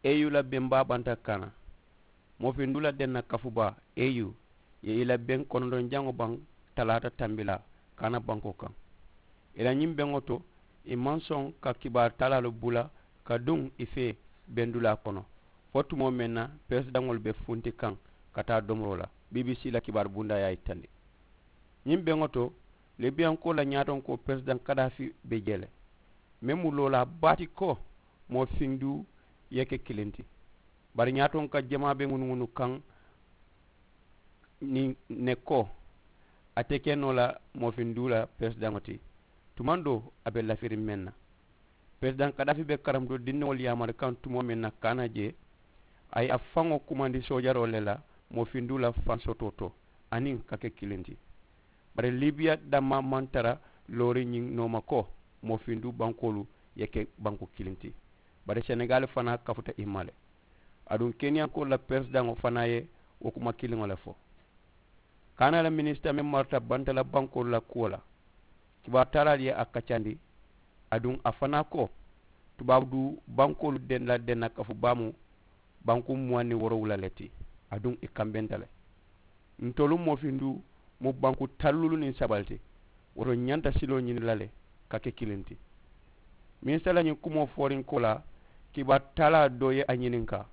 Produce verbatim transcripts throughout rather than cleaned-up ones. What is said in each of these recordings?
e yu la beŋ baa banta kaana. Moo finduu la denna kafu baa e yu ye i la beŋ konondoŋ jaŋo baŋ talaata tambilaa kaana bankoo kaŋ. I la ñiŋ beŋo to i maŋ soŋ ka kibaaru talaalu bula ka duŋ i fee bendulaa kono fo tumoo meŋ na peresidaŋolu be funti kaŋ ka taa domoroo la. Bbc la kibaaru bundaa ye a yitandi ñiŋ beŋo to libiyankoo la ñaatonkoo peresidaŋ kadaafi be jee le. Meŋ mu loolaa baati ko moo finduu ye ke kiliŋ ti. Bari ñaatonka jamaa be ŋunuŋunu kaŋ niŋ ne ko a te ke noo la moo finduu la peresidaŋo ti. Tumaŋ doo a be lafiriŋ meŋ na peresidaŋ kadaafi be karamuto dindiŋolu yaamari kaŋ tumoo meŋ na kaana jee a ye a faŋo kumandi soojaroo le la moo finduu la fansotoo to aniŋ ka ke kiliŋ ti. Bari libiya dammaa maŋ tara looriŋ ñiŋ nooma ko moo finduu bankoolu ye ke banku kiliŋ ti. Bari senegaali fanaa kafuta i ma le. Aduŋ keniyankoolu la peresidaŋo fanaa ye wo kuma kiliŋo le fo. Kaana la minisita meŋ marata bantala bankoolu la kuwo la kibaaru taalaalu ye a kaccandi. Aduŋ a fanaa ko tubaabu duu bankoolu la denna kafu baa mu banku muwaŋ niŋ woorowula le ti. Aduŋ i kambenta le. Ntolu moo finduu mu banku taŋ luulu niŋ saba le ti. Wo to ñanta siloo ñini la le ka ke kiliŋ ti. Minisita la ñiŋ kumoo fooriŋ ko la kibaaru taalaa doo ye a ñininkaa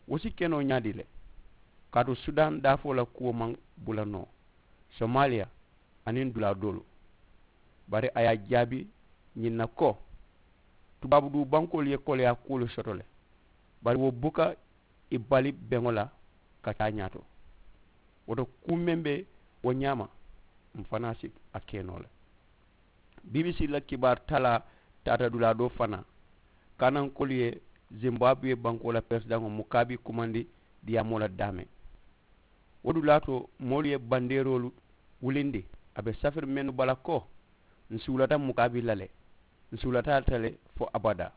wo si ke noo ñaadii le? Kaatu sudaani daafoo la kuwo maŋ bula noo somaaliya aniŋ dulaa doolu. Bari a ye a jaabi ñiŋ na ko tubaabu duu bankoolu ye koleyaa kuwolu soto le. Bari wo buka i bali beŋo la ka taa ñaato. Wo to kuu meŋ be wo ñaama m̀ fanaa si a ke noo le. Bbc la kibaaru talaa taata dulaa doo fanaa kaanankoolu ye zimbabwe bankoo la peresidaŋo mukaabi kumandi diyaamoo la daameŋ. Wo dulaa to moolu ye bandeeroolu wulindi a be safiri mennu bala ko n suulata mukaabi la le n suulata a ta le fo abadaa.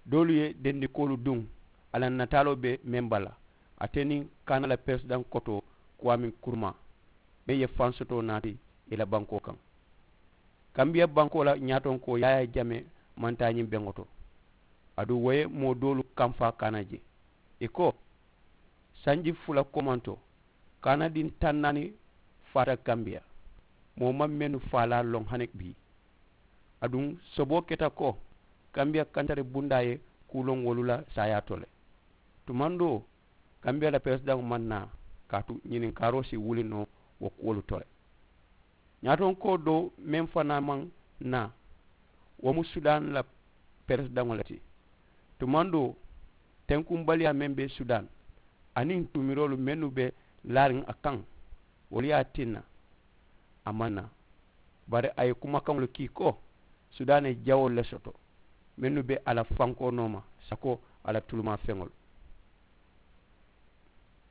Doolu ye dendikoolu duŋ a la nataaloo be meŋ bala ate niŋ kaana la peresidaŋ kotoo kuwaamin kurumaa meŋ ye faŋ soto naati i la bankoo kaŋ. Kambiya bankoo la ñaatonkoo yaaya jame maŋ taa ñiŋ beŋo to. Aduŋ wo ye moo doolu kamfaa kaana je i ko sanji fula komanto kaana diŋ taŋ naani faata kambiya moo maŋ mennu faalaa loŋ hani bii. Aduŋ soboo keta ko kambiya kantari bundaa ye kuu loŋ wolu la saayaa to le. Tumaŋ doo kambiya la peresidaŋo maŋ naa kaatu ñininkaaroo si wuli noo wo kuwolu to le. Ñaatonkoo doo meŋ fanaa maŋ naa wo mu sudaani la peresidaŋo le ti. Tumaŋ doo tenkumbaliyaa meŋ be sudaani aniŋ tumiroolu mennu be laariŋ a kaŋ wolu ye a tinna a maŋ naa. Bari a ye kumakaŋolu kii ko sudaani ye jawoolu le soto mennu be a la fankoo nooma sako a la tulumaa feŋolu.